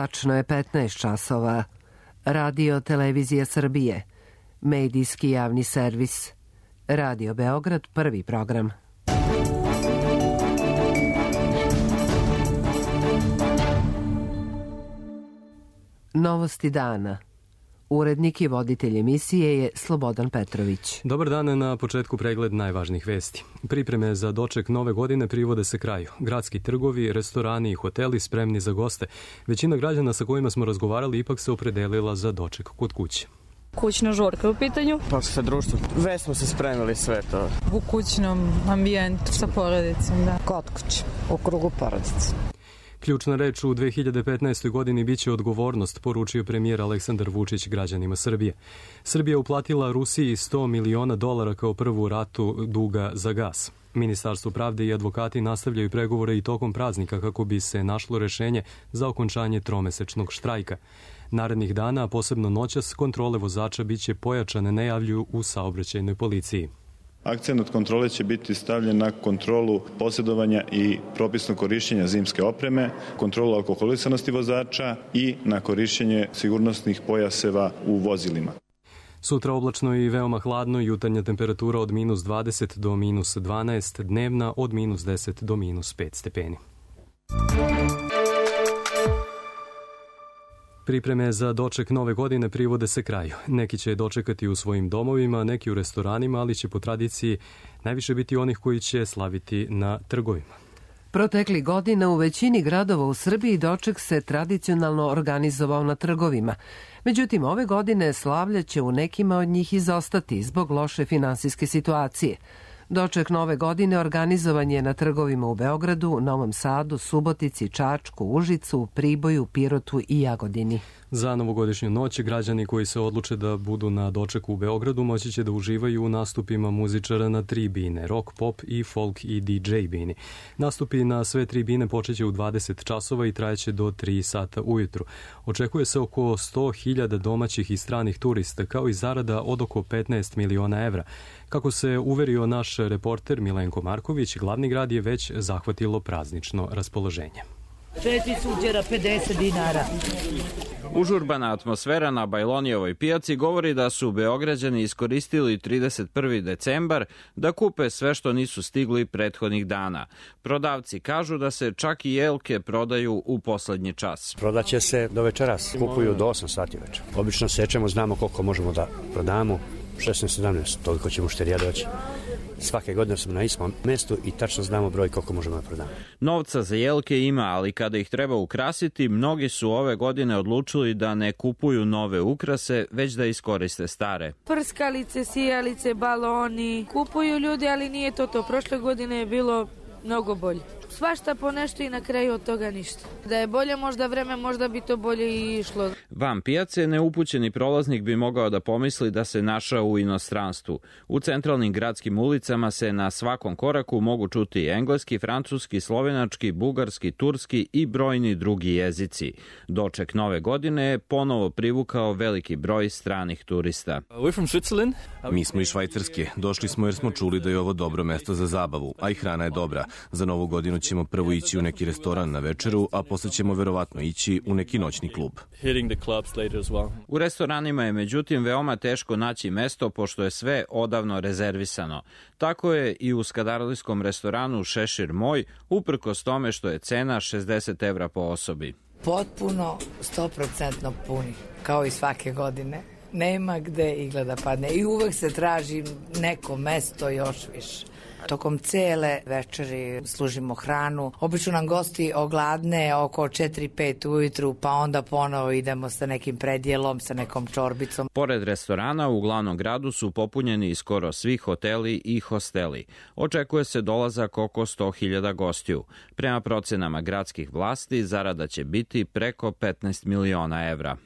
Tačno je 15 časova. Radio Televizija Srbije. Medijski javni servis. Radio Beograd, prvi program. Novosti dana. Urednik i voditelj emisije je Slobodan Petrović. Dobar dan, na početku pregled najvažnijih vesti. Pripreme za doček nove godine privode se kraju. Gradski trgovi, restorani i hoteli spremni za goste. Većina građana sa kojima smo razgovarali ipak se opredelila za doček kod kuće. Kućna žurka u pitanju. Pa sa društvom. Već smo se spremili sve to. U kućnom ambijentu sa porodicom, da. Kod kuće, u krugu porodice. Ključna reč u 2015. godini biće odgovornost, poručio premijer Aleksandar Vučić građanima Srbije. Srbija uplatila Rusiji $100 miliona kao prvu ratu duga za gas. Ministarstvo pravde i advokati nastavljaju pregovore i tokom praznika kako bi se našlo rešenje za okončanje tromesečnog štrajka. Narednih dana, a posebno noćas, kontrole vozača biće pojačane, najavljuju u saobraćajnoj policiji. Akcenat kontrole će biti stavljen na kontrolu posjedovanja i propisnog korišćenja zimske opreme, kontrolu alkoholisanosti vozača i na korišćenje sigurnosnih pojaseva u vozilima. Sutra oblačno i veoma hladno, jutarnja temperatura od -20 do -12, dnevna od -10 do -5 stepeni. Pripreme za doček nove godine privode se kraju. Neki će dočekati u svojim domovima, neki u restoranima, ali će po tradiciji najviše biti onih koji će slaviti na trgovima. Protekli godina u većini gradova u Srbiji doček se tradicionalno organizovao na trgovima. Međutim, ove godine slavlje će u nekima od njih izostati zbog loše finansijske situacije. Doček nove godine organizovan je na trgovima u Beogradu, Novom Sadu, Subotici, Čačku, Užicu, Priboju, Pirotu i Jagodini. Za novogodišnju noć građani koji se odluče da budu na dočeku u Beogradu moći će da uživaju u nastupima muzičara na 3 bine, rock, pop i folk i DJ bini. Nastupi na sve 3 bine počeće u 20 časova i trajeće do 3 sata ujutru. Očekuje se oko 100.000 domaćih i stranih turista, kao i zarada od oko 15 miliona evra. Kako se uverio naš reporter Milenko Marković, glavni grad je već zahvatilo praznično raspoloženje. 4 suđera, 50 dinara. Užurbana atmosfera na Bajlonijevoj pijaci govori da su Beograđani iskoristili 31. decembar da kupe sve što nisu stigli prethodnih dana. Prodavci kažu da se čak i jelke prodaju u poslednji čas. Prodaće se do večeras, kupuju do 8 sati večer. Obično sečemo, znamo koliko možemo da prodamo, 16-17, toliko ćemo šterija doći. Svake godine smo na istom mestu i tačno znamo broj koliko možemo da prodamo. Novca za jelke ima, ali kada ih treba ukrasiti, mnogi su ove godine odlučili da ne kupuju nove ukrase, već da iskoriste stare. Prskalice, sijalice, baloni, kupuju ljudi, ali nije to. Prošle godine je bilo mnogo bolje. Svašta po nešto i na kraju od toga ništa. Da je bolje možda vreme, možda bi to bolje i išlo. Van pijace neupućeni prolaznik bi mogao da pomisli da se našao u inostranstvu. U centralnim gradskim ulicama se na svakom koraku mogu čuti engleski, francuski, slovenački, bugarski, turski i brojni drugi jezici. Doček nove godine je ponovo privukao veliki broj stranih turista. Mi smo iz Švajcarske. Došli smo jer smo čuli da je ovo dobro mesto za zabavu, a i hrana je dobra. Za novu godinu ćemo prvo ići u neki restoran na večeru, a posle ćemo verovatno ići u neki noćni klub. U restoranima je međutim veoma teško naći mesto pošto je sve odavno rezervisano. Tako je i u skadarlijskom restoranu Šešir moj, uprkos tome što je cena 60 evra po osobi. Potpuno 100% puni, kao i svake godine. Nema gde igla da padne i uvek se traži neko mesto još više. Tokom cele večeri služimo hranu. Obično nam gosti ogladne oko 4-5 ujutru, pa onda ponovo idemo sa nekim predjelom, sa nekom čorbicom. Pored restorana u glavnom gradu su popunjeni skoro svi hoteli i hosteli. Očekuje se dolazak oko 100.000 gostiju. Prema procenama gradskih vlasti, zarada će biti preko 15 miliona evra.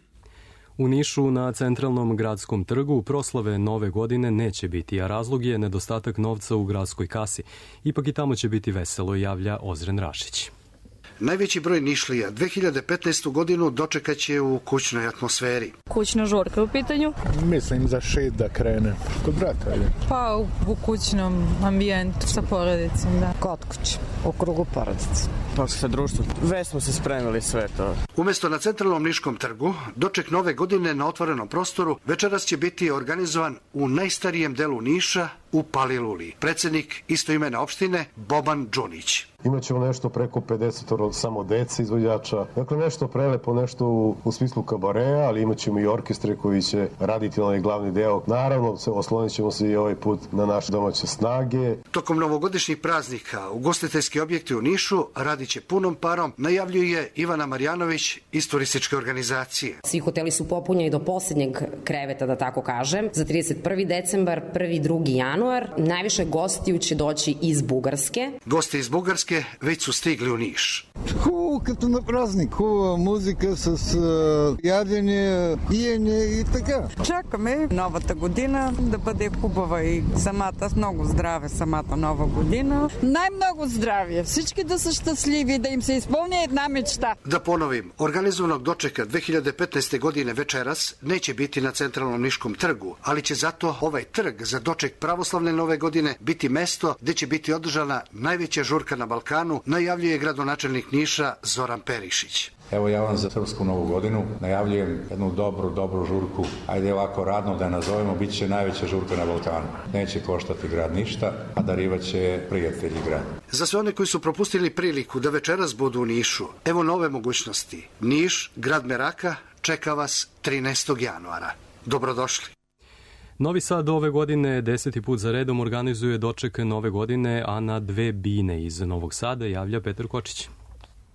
U Nišu na centralnom gradskom trgu proslave nove godine neće biti, a razlog je nedostatak novca u gradskoj kasi. Ipak i tamo će biti veselo, javlja Ozren Rašić. Najveći broj Nišlija 2015. godinu dočekaće u kućnoj atmosferi. Kućna žurka u pitanju? Mislim za 6 da krene. Kod brata, ali? Pa u kućnom ambijentu sa porodicom, da. Kod kuće, u krugu porodice. Pa sa društvom. Već smo se spremili sve to. Umesto na centralnom Niškom trgu, doček nove godine na otvorenom prostoru večeras će biti organizovan u najstarijem delu Niša, u Paliluli. Predsednik istoimene opštine Boban Đunić. Imaćemo nešto preko 50 samo dece izvođača. Dakle, nešto prelepo, nešto u smislu kabareja, ali imaćemo i orkestre koji će raditi onaj glavni deo. Naravno, oslonit ćemo se i ovaj put na naše domaće snage. Tokom novogodišnjih praznika, ugostiteljski objekti u Nišu radit će punom parom, najavljuje Ivana Marjanović iz turističke organizacije. Svi hoteli su popunjeni do posljednjeg kreveta, da tako kažem, za 31. decembar, 1. 2. januar. Najviše gostiju će doći iz Bugarske. Gosti iz Bugarske već su stigli u Niš. Хубаво като на празник, хубава музика с ядене, пиене и така. Чакаме новата година да бъде хубава и самата, много здраве самата нова година. Най-много здравие, всички да са щастливи, да им се изпълни една мечта. Da ponovim, organizovanog dočeka 2015. godine večeras neće biti na centralnom Niškom trgu, ali će zato ovaj trg za doček pravoslavne nove godine biti mesto gde će biti održana najveća žurka na Balkanu, najavljuje gradonačelnik Niša Zoran Perišić. Evo ja vam za Srpsku novu godinu najavljujem jednu dobru žurku. Ajde ovako radno da je nazovemo, bit će najveća žurka na Balkanu. Neće koštati grad ništa, a darivaće prijatelji grad. Za sve one koji su propustili priliku da večeras budu u Nišu, evo nove mogućnosti. Niš, grad meraka, čeka vas 13. januara. Dobrodošli. Novi Sad ove godine 10. put za redom organizuje doček nove godine, a na 2 bine iz Novog Sada javlja Petar Kočić.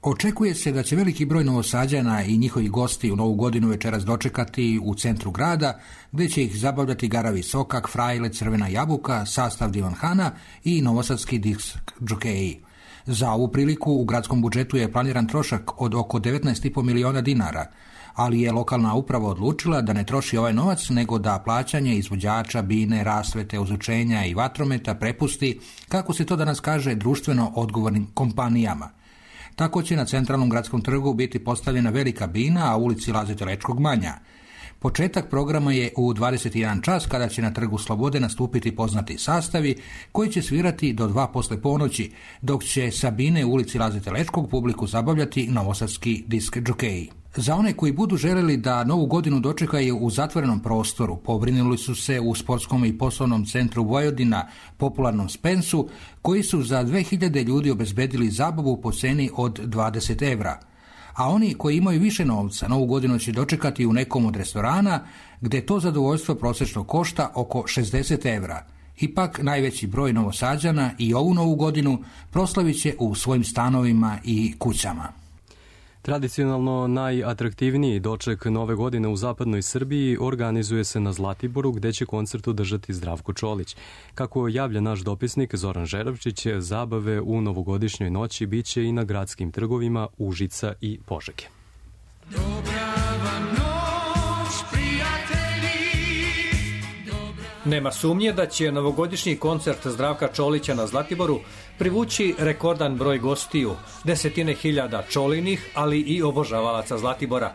Očekuje se da će veliki broj Novosađana i njihovi gosti u Novu godinu večeras dočekati u centru grada, gde će ih zabavljati Garavi Sokak, Frajle, Crvena jabuka, sastav Divan Hana i novosadski disk džokeji. Za ovu priliku u gradskom budžetu je planiran trošak od oko 19,5 miliona dinara, ali je lokalna uprava odlučila da ne troši ovaj novac, nego da plaćanje izvođača, bine, rasvete, ozvučenja i vatrometa prepusti, kako se to danas kaže, društveno odgovornim kompanijama. Tako će na centralnom gradskom trgu biti postavljena velika bina, a u ulici Laze Telečkog manja. Početak programa je u 21 čas, kada će na Trgu Slobode nastupiti poznati sastavi koji će svirati do 2 posle ponoći, dok će sa bine u ulici Laze Telečkog publiku zabavljati novosadski disk džokeji. Za one koji budu želeli da Novu godinu dočekaju u zatvorenom prostoru, pobrinuli su se u sportskom i poslovnom centru Vojvodina, popularnom Spensu, koji su za 2000 ljudi obezbedili zabavu po ceni od 20 evra. A oni koji imaju više novca, Novu godinu će dočekati u nekom od restorana, gde to zadovoljstvo prosečno košta oko 60 evra. Ipak najveći broj Novosađana i ovu Novu godinu proslavit će u svojim stanovima i kućama. Tradicionalno najatraktivniji doček nove godine u zapadnoj Srbiji organizuje se na Zlatiboru, gde će koncert održati Zdravko Čolić. Kako javlja naš dopisnik Zoran Žeravčić, zabave u novogodišnjoj noći biće i na gradskim trgovima Užica i Požege. Nema sumnje da će novogodišnji koncert Zdravka Čolića na Zlatiboru privući rekordan broj gostiju, desetine hiljada čolinih, ali i obožavalaca Zlatibora.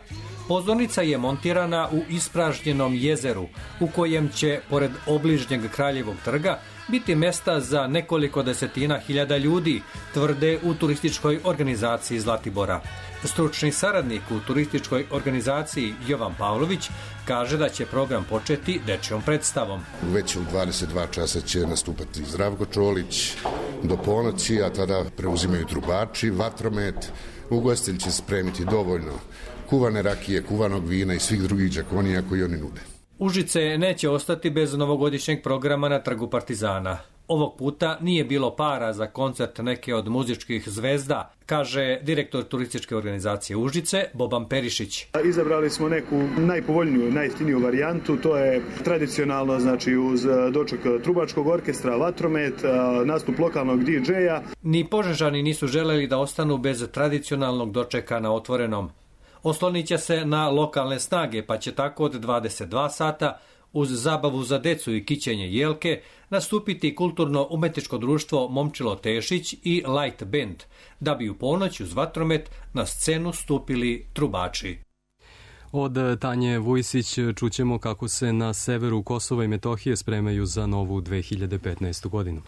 Pozornica je montirana u ispražnjenom jezeru, u kojem će, pored obližnjeg Kraljevog trga, biti mesta za nekoliko desetina hiljada ljudi, tvrde u turističkoj organizaciji Zlatibora. Stručni saradnik u turističkoj organizaciji Jovan Pavlović kaže da će program početi dečjom predstavom. Već u 22 časa će nastupati Zdravko Čolić do ponoći, a tada preuzimaju trubači, vatromet. Ugostitelj će spremiti dovoljno kuvane rakije, kuvanog vina i svih drugih đakonija koji oni nude. Užice neće ostati bez novogodišnjeg programa na Trgu Partizana. Ovog puta nije bilo para za koncert neke od muzičkih zvezda, kaže direktor turističke organizacije Užice, Boban Perišić. Izabrali smo neku najpovoljniju, najjeftiniju varijantu, to je tradicionalno, znači uz doček trubačkog orkestra, vatromet, nastup lokalnog DJ-a. Ni Požežani nisu želeli da ostanu bez tradicionalnog dočeka na otvorenom. Oslonit će se na lokalne snage, pa će tako od 22 sata uz zabavu za decu i kićenje jelke nastupiti kulturno-umetničko društvo Momčilo Tešić i Light Band, da bi u ponoć uz vatromet na scenu stupili trubači. Od Tanje Vujsić čućemo kako se na severu Kosova i Metohije spremaju za novu 2015. godinu.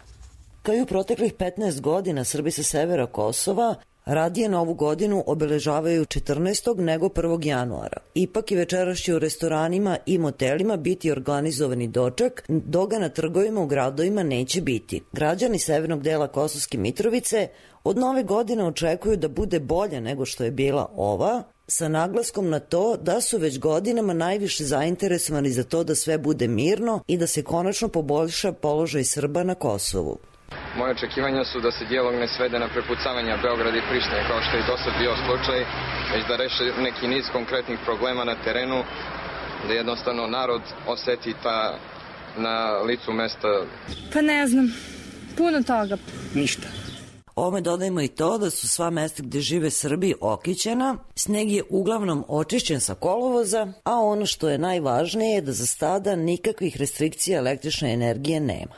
Kao i u proteklih 15 godina, Srbi sa severa Kosova radije novu godinu obeležavaju 14. nego 1. januara. Ipak i večeras će u restoranima i motelima biti organizovani doček, dok ga na trgovima u gradovima neće biti. Građani severnog dela Kosovske Mitrovice od nove godine očekuju da bude bolje nego što je bila ova, sa naglaskom na to da su već godinama najviše zainteresovani za to da sve bude mirno i da se konačno poboljša položaj Srba na Kosovu. Moje očekivanja su da se dijalog ne svede na prepucavanja Beograda i Prištine, kao što je do sad bio slučaj, već da reše neki niz konkretnih problema na terenu, da jednostavno narod oseti na licu mesta. Pa ne znam, puno toga. Ništa. Ovome dodajemo i to da su sva mesta gde žive Srbi okićena, sneg je uglavnom očišćen sa kolovoza, a ono što je najvažnije je da za sada nikakvih restrikcija električne energije nema.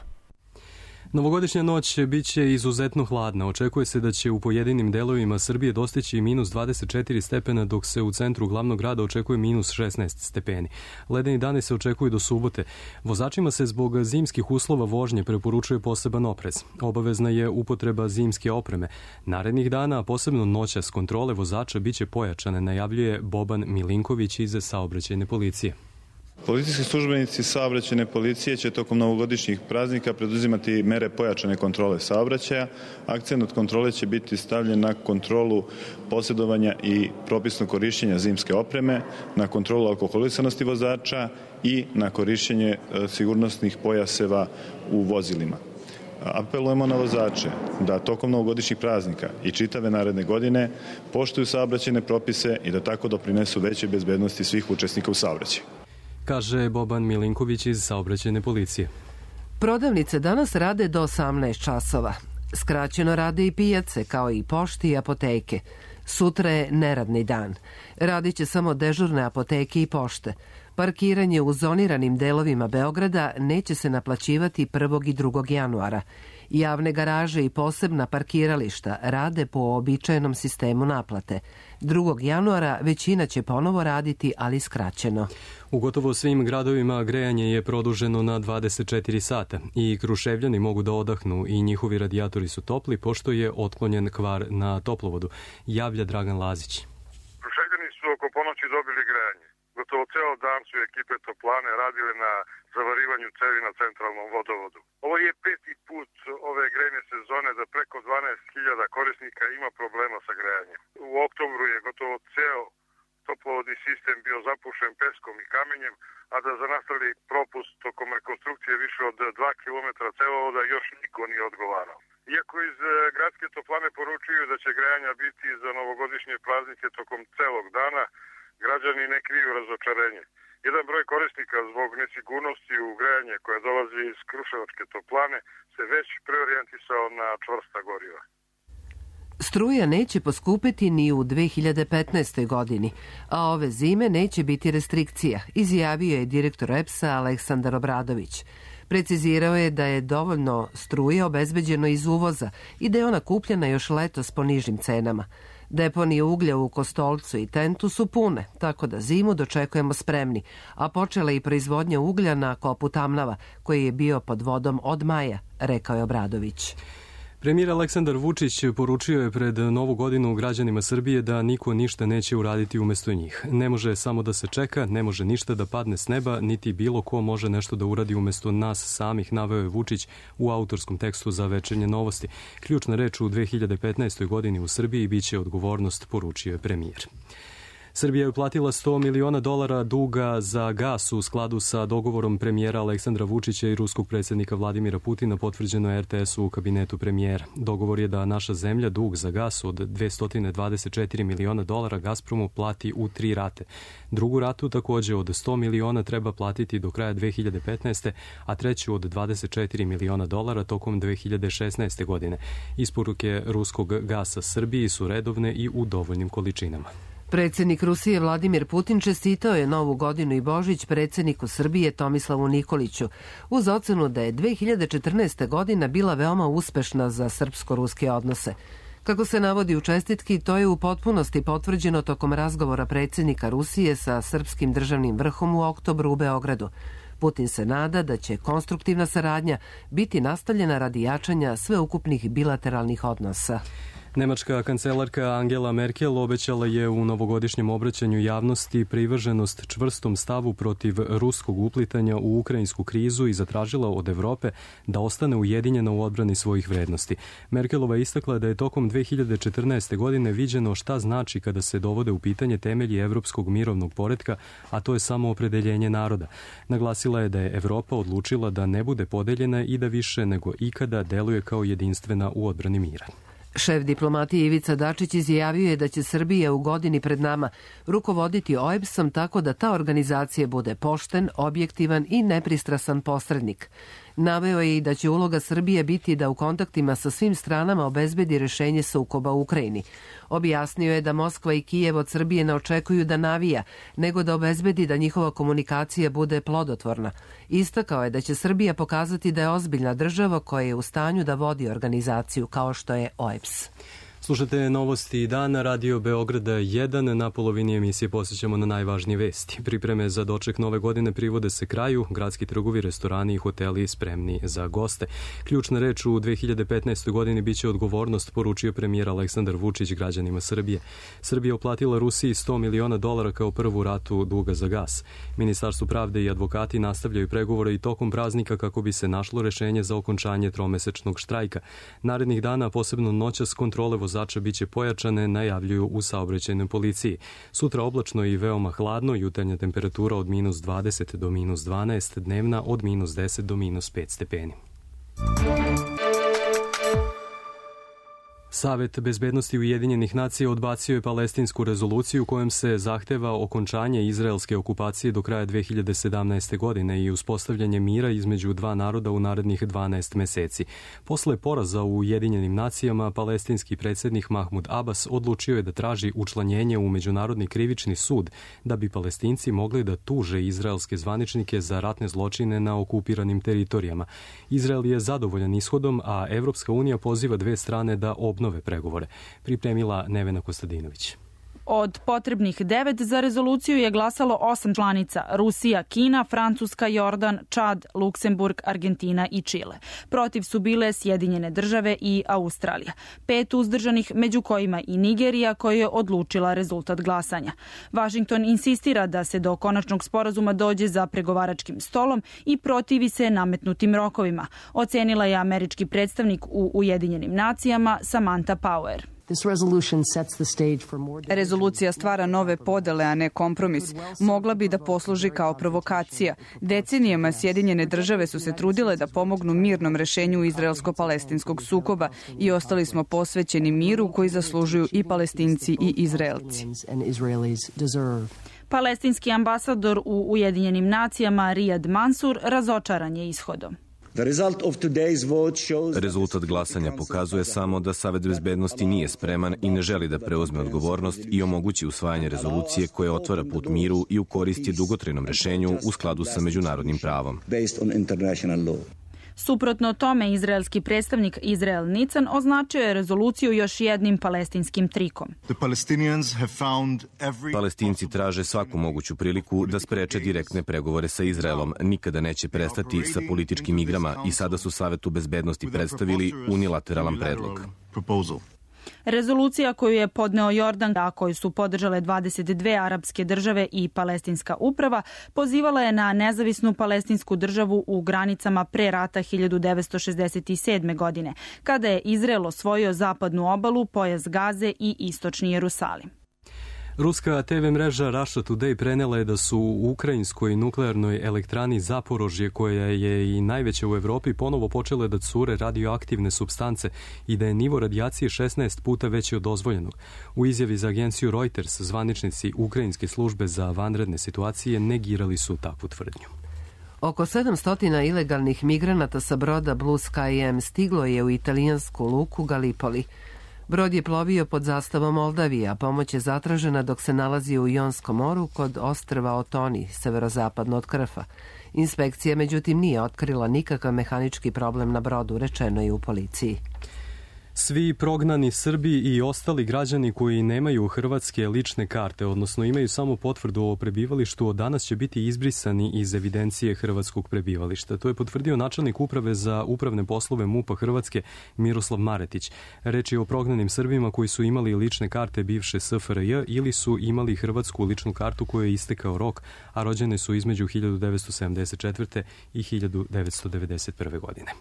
Novogodišnja noć biće izuzetno hladna. Očekuje se da će u pojedinim delovima Srbije dostići minus 24 stepena, dok se u centru glavnog grada očekuje minus 16 stepeni. Ledeni dani se očekuju do subote. Vozačima se zbog zimskih uslova vožnje preporučuje poseban oprez. Obavezna je upotreba zimske opreme. Narednih dana, a posebno noćas, kontrole vozača biće pojačane, najavljuje Boban Milinković iz Saobraćajne policije. Policijski službenici saobraćajne policije će tokom novogodišnjih praznika preduzimati mere pojačane kontrole saobraćaja. Akcent od kontrole će biti stavljen na kontrolu posjedovanja i propisnog korišćenja zimske opreme, na kontrolu alkoholisanosti vozača i na korišćenje sigurnosnih pojaseva u vozilima. Apelujemo na vozače da tokom novogodišnjih praznika i čitave naredne godine poštuju saobraćajne propise i da tako doprinesu većoj bezbednosti svih učesnika u saobraćaju, kaže Boban Milinković iz Saobraćajne policije. Prodavnice danas rade do 18 časova. Skraćeno rade i pijace, kao i pošti i apoteke. Sutra je neradni dan. Radit će samo dežurne apoteke i pošte. Parkiranje u zoniranim delovima Beograda neće se naplaćivati 1. i 2. januara. Javne garaže i posebna parkirališta rade po običajnom sistemu naplate. 2. januara većina će ponovo raditi, ali skraćeno. U gotovo svim gradovima grejanje je produženo na 24 sata i Kruševljani mogu da odahnu i njihovi radijatori su topli, pošto je otklonjen kvar na toplovodu, javlja Dragan Lazić. Kruševljani su oko ponoći dobili grejanje. Gotovo ceo dan su ekipe toplane radile na zavarivanju cevi na centralnom vodovodu. Ovo je 5. put ove grejne sezone da preko 12.000 korisnika ima problema sa grejanjem. U oktobru je gotovo ceo toplovodni sistem bio zapušen peskom i kamenjem, a da za nastali propust tokom rekonstrukcije više od 2 km cevovoda još niko nije odgovarao. Iako iz gradske toplane poručuju da će grejanja biti za novogodišnje praznike tokom celog dana, građani ne kriju razočarenje. Jedan broj korisnika zbog nesigurnosti u grejanje koje dolazi iz Kruševačke toplane se već preorijentisao na čvrsta goriva. Struja neće poskupiti ni u 2015. godini, a ove zime neće biti restrikcija, izjavio je direktor EPS-a Aleksandar Obradović. Precizirao je da je dovoljno struje obezbeđeno iz uvoza i da je ona kupljena još letos po nižim cenama. Deponije uglja u Kostolcu i Tentu su pune, tako da zimu dočekujemo spremni, a počela i proizvodnja uglja na kopu Tamnava, koji je bio pod vodom od maja, rekao je Obradović. Premijer Aleksandar Vučić poručio je pred Novu godinu građanima Srbije da niko ništa neće uraditi umesto njih. Ne može samo da se čeka, ne može ništa da padne s neba, niti bilo ko može nešto da uradi umesto nas samih, naveo je Vučić u autorskom tekstu za Večernje novosti. Ključna reč u 2015. godini u Srbiji biće odgovornost, poručio je premijer. Srbija je uplatila $100 miliona duga za gas u skladu sa dogovorom premijera Aleksandra Vučića i ruskog predsjednika Vladimira Putina, potvrđeno je RTS-u u kabinetu premijera. Dogovor je da naša zemlja dug za gas od $224 miliona Gazpromu plati u 3 rate. Drugu ratu takođe od $100 miliona treba platiti do kraja 2015. a treću od $24 miliona tokom 2016. godine. Isporuke ruskog gasa Srbiji su redovne i u dovoljnim količinama. Predsjednik Rusije Vladimir Putin čestitao je Novu godinu i Božić predsjedniku Srbije Tomislavu Nikoliću uz ocenu da je 2014. godina bila veoma uspešna za srpsko-ruske odnose. Kako se navodi u čestitki, to je u potpunosti potvrđeno tokom razgovora predsjednika Rusije sa srpskim državnim vrhom u oktobru u Beogradu. Putin se nada da će konstruktivna saradnja biti nastavljena radi jačanja sveukupnih bilateralnih odnosa. Nemačka kancelarka Angela Merkel obećala je u novogodišnjem obraćanju javnosti privrženost čvrstom stavu protiv ruskog uplitanja u ukrajinsku krizu i zatražila od Evrope da ostane ujedinjena u odbrani svojih vrednosti. Merkelova istakla da je tokom 2014. godine viđeno šta znači kada se dovode u pitanje temelji evropskog mirovnog poretka, a to je samo opredeljenje naroda. Naglasila je da je Evropa odlučila da ne bude podeljena i da više nego ikada deluje kao jedinstvena u odbrani mira. Šef diplomatije Ivica Dačić izjavio je da će Srbija u godini pred nama rukovoditi OEBS-om tako da ta organizacija bude pošten, objektivan i nepristrasan posrednik. Naveo je i da će uloga Srbije biti da u kontaktima sa svim stranama obezbedi rešenje sukoba u Ukrajini. Objasnio je da Moskva i Kijev od Srbije ne očekuju da navija, nego da obezbedi da njihova komunikacija bude plodotvorna. Istakao je da će Srbija pokazati da je ozbiljna država koja je u stanju da vodi organizaciju kao što je OEBS. Slušate novosti dana, Radio Beograda 1. Na polovini emisije posjećamo na najvažnije vesti. Pripreme za doček nove godine privode se kraju, gradski trgovi, restorani i hoteli spremni za goste. Ključna reč u 2015. godini biće odgovornost, poručio premijer Aleksandar Vučić građanima Srbije. Srbija oplatila Rusiji $100 miliona kao prvu ratu duga za gas. Ministarstvo pravde i advokati nastavljaju pregovore i tokom praznika kako bi se našlo rešenje za okončanje tromesečnog štrajka. Narednih dana, posebno noćas, kontrole vozača biće pojačane, najavljuju u saobraćajnoj policiji. Sutra oblačno i veoma hladno, jutarnja temperatura od -20 do -12, dnevna od -10 do -5 stepeni. Savet bezbednosti Ujedinjenih nacija odbacio je palestinsku rezoluciju kojom se zahteva okončanje izraelske okupacije do kraja 2017. godine i uspostavljanje mira između dva naroda u narednih 12 meseci. Posle poraza u Ujedinjenim nacijama, palestinski predsjednik Mahmud Abbas odlučio je da traži učlanjenje u Međunarodni krivični sud da bi Palestinci mogli da tuže izraelske zvaničnike za ratne zločine na okupiranim teritorijama. Izrael je zadovoljan ishodom, a Evropska unija poziva dve strane da obnove pregovore. Pripremila Nevena Kostadinović. Od potrebnih 9 za rezoluciju je glasalo 8 članica: Rusija, Kina, Francuska, Jordan, Čad, Luksemburg, Argentina i Čile. Protiv su bile Sjedinjene države i Australija. 5 uzdržanih, među kojima i Nigerija, koja je odlučila rezultat glasanja. Vašington insistira da se do konačnog sporazuma dođe za pregovaračkim stolom i protivi se nametnutim rokovima, ocenila je američki predstavnik u Ujedinjenim nacijama Samantha Power. Rezolucija stvara nove podele, a ne kompromis. Mogla bi da posluži kao provokacija. Decenijama Sjedinjene države su se trudile da pomognu mirnom rešenju izraelsko-palestinskog sukoba i ostali smo posvećeni miru koji zaslužuju i Palestinci i Izraelci. Palestinski ambasador u Ujedinjenim nacijama Riyad Mansur razočaran je ishodom. Rezultat glasanja pokazuje samo da Savet bezbednosti nije spreman i ne želi da preuzme odgovornost i omogući usvajanje rezolucije koja otvara put miru i u koristi dugotrajnom rešenju u skladu sa međunarodnim pravom. Suprotno tome, izraelski predstavnik Izrael Nican označio je rezoluciju još jednim palestinskim trikom. Palestinci traže svaku moguću priliku da spreče direktne pregovore sa Izraelom. Nikada neće prestati sa političkim igrama i sada su Savetu bezbednosti predstavili unilateralan predlog. Rezolucija koju je podneo Jordan, a koju su podržale 22 arapske države i palestinska uprava, pozivala je na nezavisnu palestinsku državu u granicama pre rata 1967. godine, kada je Izrael osvojio zapadnu obalu, pojas Gaze i istočni Jerusalim. Ruska TV mreža Russia Today prenela je da su u ukrajinskoj nuklearnoj elektrani Zaporožje, koja je i najveća u Evropi, ponovo počele da cure radioaktivne supstance i da je nivo radijacije 16 puta veći od dozvoljenog. U izjavi za agenciju Reuters zvaničnici Ukrajinske službe za vanredne situacije negirali su takvu tvrdnju. Oko 700 ilegalnih migranata sa broda Blue Sky M stiglo je u italijansku luku Gallipoli. Brod je plovio pod zastavom Moldavije, a pomoć je zatražena dok se nalazi u Jonskom moru kod ostrva Otoni, severozapadno od Krfa. Inspekcija, međutim, nije otkrila nikakav mehanički problem na brodu, rečeno je u policiji. Svi prognani Srbi i ostali građani koji nemaju hrvatske lične karte, odnosno imaju samo potvrdu o prebivalištu, od danas će biti izbrisani iz evidencije hrvatskog prebivališta. To je potvrdio načelnik uprave za upravne poslove MUP-a Hrvatske Miroslav Maretić. Reč je o prognanim Srbima koji su imali lične karte bivše SFRJ ili su imali hrvatsku ličnu kartu koju je istekao rok, a rođene su između 1974. i 1991. godine.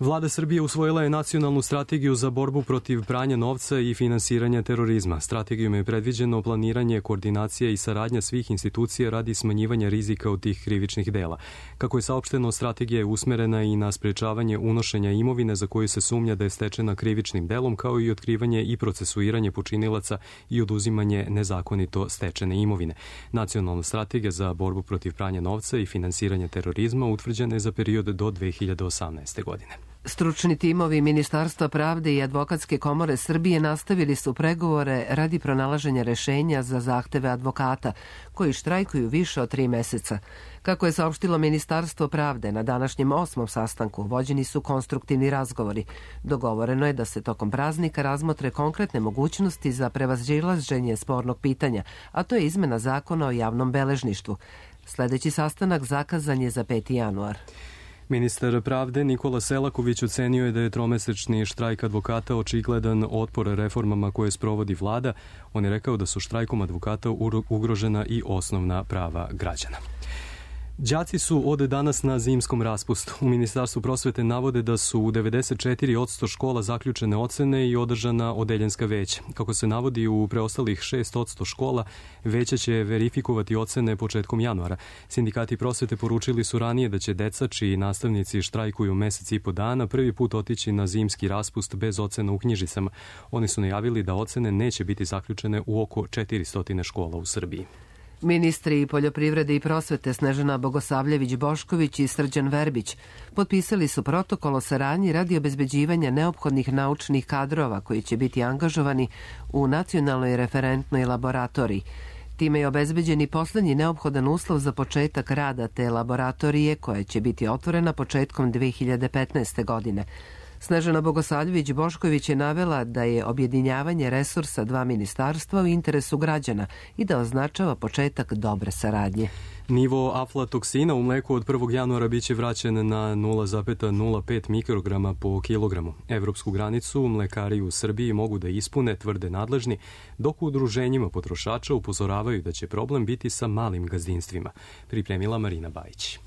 Vlada Srbije usvojila je nacionalnu strategiju za borbu protiv pranja novca i finansiranja terorizma. Strategijom je predviđeno planiranje, koordinacija i saradnja svih institucija radi smanjivanja rizika od tih krivičnih dela. Kako je saopšteno, strategija je usmerena i na sprečavanje unošenja imovine za koju se sumnja da je stečena krivičnim delom, kao i otkrivanje i procesuiranje počinilaca i oduzimanje nezakonito stečene imovine. Nacionalna strategija za borbu protiv pranja novca i finansiranja terorizma utvrđena je za period do 2018. godine. Stručni timovi Ministarstva pravde i Advokatske komore Srbije nastavili su pregovore radi pronalaženja rešenja za zahteve advokata, koji štrajkuju više od 3 meseca. Kako je saopštilo Ministarstvo pravde, na današnjem 8. sastanku vođeni su konstruktivni razgovori. Dogovoreno je da se tokom praznika razmotre konkretne mogućnosti za prevazilaženje spornog pitanja, a to je izmena zakona o javnom beležništvu. Sledeći sastanak zakazan je za 5. januar. Ministar pravde Nikola Selaković ocenio je da je tromesečni štrajk advokata očigledan otpor reformama koje sprovodi vlada. On je rekao da su štrajkom advokata ugrožena i osnovna prava građana. Đaci su od danas na zimskom raspustu. U Ministarstvu prosvete navode da su u 94% škola zaključene ocene i održana odeljenska veća. Kako se navodi, u preostalih 6% škola veća će verifikovati ocene početkom januara. Sindikati prosvete poručili su ranije da će deca čiji nastavnici štrajkuju mesec i po dana prvi put otići na zimski raspust bez ocena u knjižicama. Oni su najavili da ocene neće biti zaključene u oko 400 škola u Srbiji. Ministri poljoprivrede i prosvete Snežana Bogosavljević-Bošković i Srđan Verbić potpisali su protokol o saradnji radi obezbeđivanja neophodnih naučnih kadrova koji će biti angažovani u nacionalnoj referentnoj laboratoriji. Time je obezbeđen i poslednji neophodan uslov za početak rada te laboratorije koja će biti otvorena početkom 2015. godine. Snežana Bogosavljević-Bošković je navela da je objedinjavanje resursa 2 ministarstva u interesu građana i da označava početak dobre saradnje. Nivo aflatoksina u mleku od 1. januara biće vraćen na 0,05 mikrograma po kilogramu. Evropsku granicu mlekari u Srbiji mogu da ispune, tvrde nadležni, dok u udruženjima potrošača upozoravaju da će problem biti sa malim gazdinstvima. Pripremila Marina Bajić.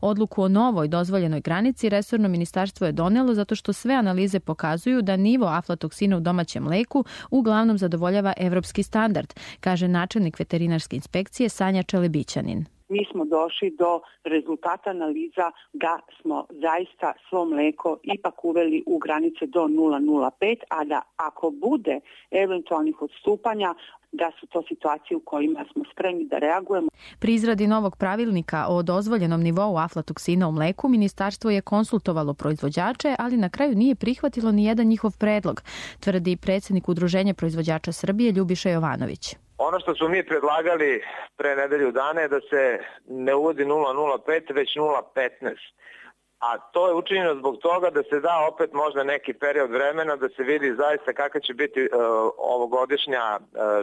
Odluku o novoj dozvoljenoj granici resorno ministarstvo je donelo zato što sve analize pokazuju da nivo aflatoksina u domaćem mleku uglavnom zadovoljava evropski standard, kaže načelnik veterinarske inspekcije Sanja Čelebićanin. Mi smo došli do rezultata analiza da smo zaista svo mleko ipak uveli u granice do 0,05, a da ako bude eventualnih odstupanja, da su to situacije u kojima smo spremni da reagujemo. Pri izradi novog pravilnika o dozvoljenom nivou aflatoksina u mleku, ministarstvo je konsultovalo proizvođače, ali na kraju nije prihvatilo ni jedan njihov predlog, tvrdi predsjednik Udruženja proizvođača Srbije Ljubiša Jovanović. Ono što smo mi predlagali pre nedelju dana je da se ne uvodi 0,05 već 0,15. A to je učinjeno zbog toga da se da opet možda neki period vremena da se vidi zaista kakva će biti ovogodišnja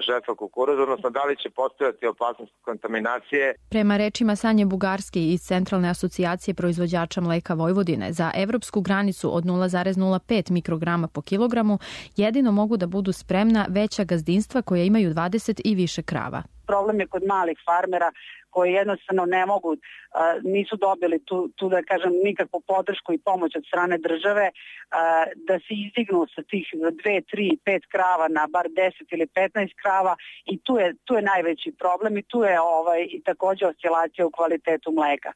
žetva kukuruza, odnosno da li će postojati opasnost kontaminacije. Prema rečima Sanje Bugarski iz Centralne asocijacije proizvođača mleka Vojvodine, za evropsku granicu od 0,05 mikrograma po kilogramu jedino mogu da budu spremna veća gazdinstva koja imaju 20 i više krava. Problem je kod malih farmera koji jednostavno ne mogu, nisu dobili tu da kažem nikakvu podršku i pomoć od strane države da se izdignu sa tih 2, 3, 5 krava na bar 10 ili 15 krava i tu je najveći problem i tu je i također oscilacija u kvalitetu mleka.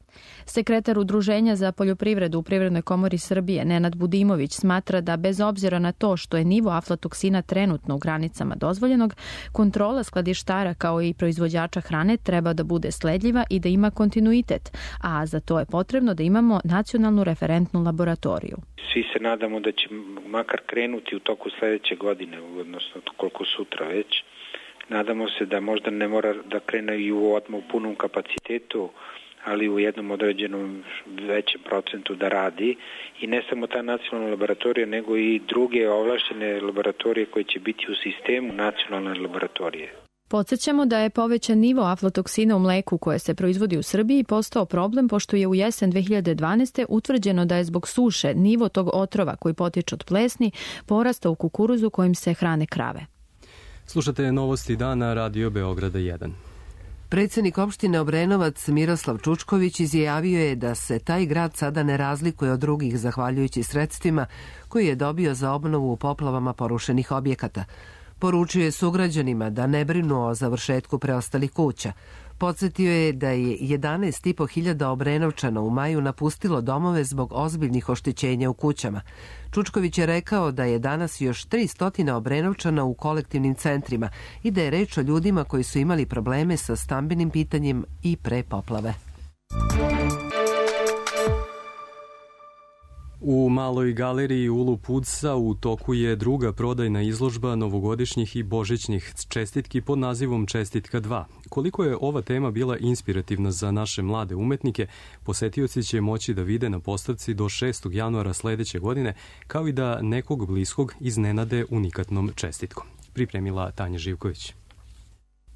Sekretar Udruženja za poljoprivredu u Privrednoj komori Srbije Nenad Budimović smatra da bez obzira na to što je nivo aflatoksina trenutno u granicama dozvoljenog, kontrola skladištara kao i proizvođača hrane treba da bude sledljiva i da ima kontinuitet. test, a za to je potrebno da imamo nacionalnu referentnu laboratoriju. Svi se nadamo da će makar krenuti u toku sledeće godine, odnosno koliko sutra već. Nadamo se da možda ne mora da krene i odmah u punom kapacitetu, ali u jednom određenom većem procentu da radi. I ne samo ta nacionalna laboratorija, nego i druge ovlašćene laboratorije koje će biti u sistemu nacionalne laboratorije. Podsjećamo da je povećan nivo aflatoksina u mleku koje se proizvodi u Srbiji postao problem pošto je u jesen 2012. utvrđeno da je zbog suše nivo tog otrova koji potiče od plesni porastao u kukuruzu kojim se hrane krave. Slušate novosti dana Radio Beograda 1. Predsjednik opštine Obrenovac Miroslav Čučković izjavio je da se taj grad sada ne razlikuje od drugih zahvaljujući sredstvima koji je dobio za obnovu u poplavama porušenih objekata. Poručio je sugrađanima da ne brinu o završetku preostalih kuća. Podsjetio je da je 11.500 Obrenovčana u maju napustilo domove zbog ozbiljnih oštećenja u kućama. Čučković je rekao da je danas još 300 Obrenovčana u kolektivnim centrima i da je reč o ljudima koji su imali probleme sa stambenim pitanjem i pre poplave. U Maloj galeriji Ulu Pudsa u toku je druga prodajna izložba novogodišnjih i božićnih čestitki pod nazivom Čestitka 2. Koliko je ova tema bila inspirativna za naše mlade umetnike, posetioci će moći da vide na postavci do 6. januara sledeće godine, kao i da nekog bliskog iznenade unikatnom čestitkom. Pripremila Tanja Živković.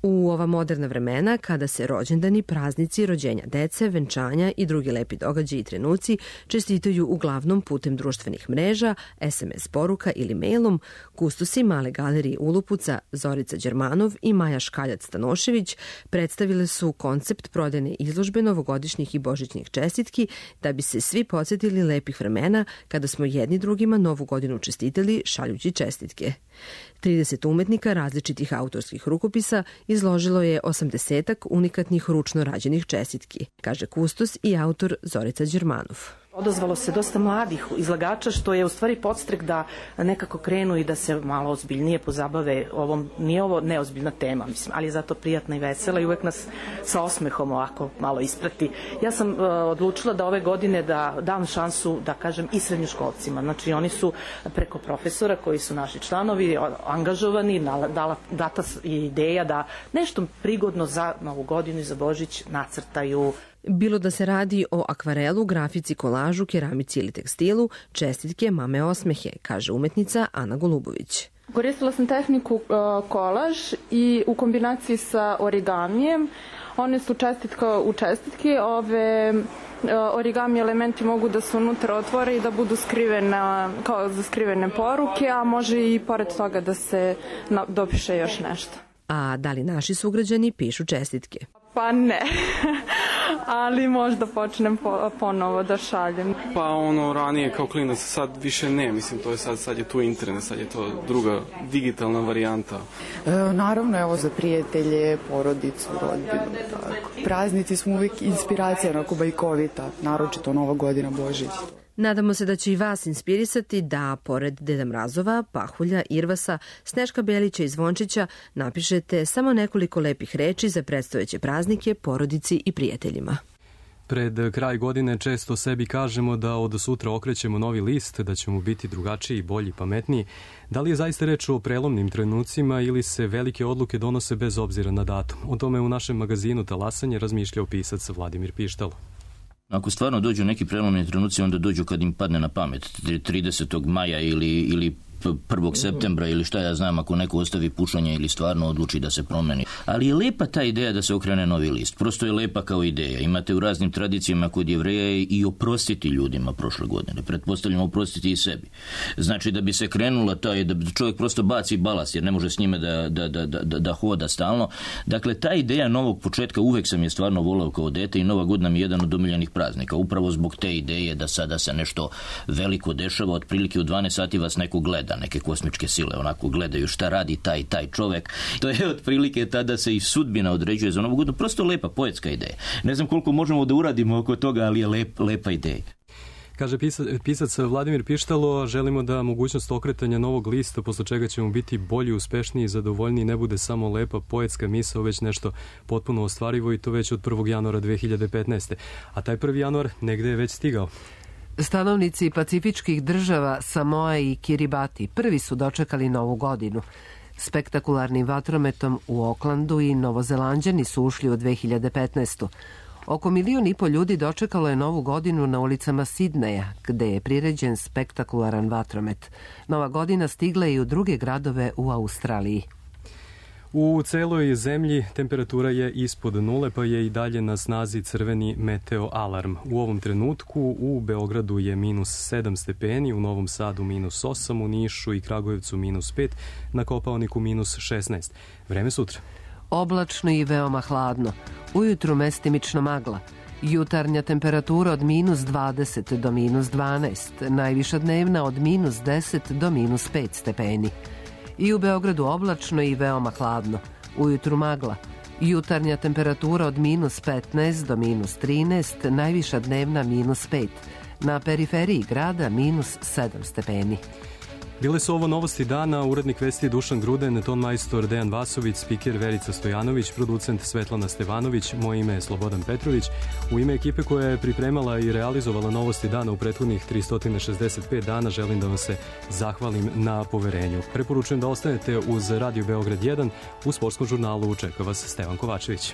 U ova moderna vremena, kada se rođendani, praznici, rođenja dece, venčanja i drugi lepi događaji i trenuci čestitaju uglavnom putem društvenih mreža, SMS poruka ili mailom, kustosi Male galerije Ulupuca Zorica Đermanov i Maja Škaljac-Stanošević predstavile su koncept prodajne izložbe novogodišnjih i božićnih čestitki da bi se svi podsjetili lepih vremena kada smo jedni drugima novu godinu čestitali šaljući čestitke. 30 umetnika različitih autorskih rukopisa izložilo je 80 unikatnih ručno rađenih čestitki, kaže kustos i autor Zorica Đermanov. Odazvalo se dosta mladih izlagača, što je u stvari podstrek da nekako krenu i da se malo ozbiljnije pozabave ovom. Nije ovo neozbiljna tema, mislim, ali je zato prijatna i vesela i uvek nas sa osmehom ovako malo isprati. Ja sam odlučila da ove godine da dam šansu, da kažem, i srednjoškolcima. Znači, oni su preko profesora koji su naši članovi angažovani, data ideja da nešto prigodno za Novu godinu i za Božić nacrtaju. Bilo da se radi o akvarelu, grafici, kolažu, keramici ili tekstilu, čestitke mame osmehe, kaže umetnica Ana Golubović. Koristila sam tehniku kolaž i u kombinaciji sa origamijem. One su čestitka u čestitki. Ove origami elementi mogu da se unutra otvore i da budu skrivene, kao za skrivene poruke, a može i pored toga da se dopiše još nešto. A da li naši sugrađani pišu čestitke? Pa ne, ali možda počnem ponovo da šaljem. Pa ranije kao klinac, sad više ne, mislim, to je sad je tu internet, sad je to druga digitalna varijanta. Naravno, evo za prijatelje, porodicu, rodbinu, tako. Praznici smo uvijek inspiracija, onako bajkovita, naročito Nova godina, Božić. Nadamo se da će i vas inspirisati da, pored Deda Mrazova, Pahulja, Irvasa, Sneška Belića i Zvončića, napišete samo nekoliko lepih reči za predstojeće praznike, porodici i prijateljima. Pred kraj godine često sebi kažemo da od sutra okrećemo novi list, da ćemo biti drugačiji, bolji, pametniji. Da li je zaista reč o prelomnim trenucima ili se velike odluke donose bez obzira na datum? O tome u našem magazinu Talasanje razmišljao pisac Vladimir Pištalo. Ako stvarno dođu neki prelomni trenuci, onda dođu kad im padne na pamet, 30. maja ili 1. septembra ili šta ja znam, ako neko ostavi pušanje ili stvarno odluči da se promeni. Ali je lepa ta ideja da se okrene novi list. Prosto je lepa kao ideja. Imate u raznim tradicijama kod Jevreja i oprostiti ljudima prošle godine. Pretpostavljamo oprostiti i sebi. Znači da bi se krenula da čovjek prosto baci balast jer ne može s njime da hoda stalno. Dakle, ta ideja novog početka uvek sam je stvarno volao kao dete i Nova godina mi je jedan od omiljenih praznika. Upravo zbog te ideje da sada se nešto veliko dešava, otprilike u 12 sati vas neko gleda. Neke kosmičke sile onako gledaju šta radi taj čovek. To je otprilike tada se i sudbina određuje za Novu godinu. Prosto lepa poetska ideja. Ne znam koliko možemo da uradimo oko toga, ali je lepa ideja. Kaže pisac Vladimir Pištalo, želimo da mogućnost okretanja novog lista, posle čega ćemo biti bolji, uspešniji i zadovoljniji, ne bude samo lepa poetska misao, već nešto potpuno ostvarivo i to već od 1. januara 2015. A taj 1. januar negde je već stigao. Stanovnici pacifičkih država Samoa i Kiribati prvi su dočekali novu godinu. Spektakularnim vatrometom u Oklandu i Novozelanđani su ušli u 2015. Oko 1,5 miliona ljudi dočekalo je novu godinu na ulicama Sidneja, gde je priređen spektakularan vatromet. Nova godina stigla je i u druge gradove u Australiji. U celoj zemlji temperatura je ispod nule, pa je i dalje na snazi crveni meteo alarm. U ovom trenutku u Beogradu je -7 stepeni, u Novom Sadu -8, u Nišu i Kragujevcu -5, na Kopaoniku -16. Vreme sutra. Oblačno i veoma hladno. Ujutru mestimično magla. Jutarnja temperatura od -20 do -12, najviša dnevna od -10 do -5 stepeni. I u Beogradu oblačno i veoma hladno. Ujutru magla. Jutarnja temperatura od -15 do -13, najviša dnevna -5. Na periferiji grada -7 stepeni. Bile su ovo novosti dana, urednik vesti Dušan Gruden, ton majstor Dejan Vasović, spiker Verica Stojanović, producent Svetlana Stevanović, moje ime je Slobodan Petrović. U ime ekipe koja je pripremala i realizovala novosti dana u prethodnih 365 dana želim da vam se zahvalim na poverenju. Preporučujem da ostanete uz Radio Beograd 1, u sportskom žurnalu čeka vas Stevan Kovačević.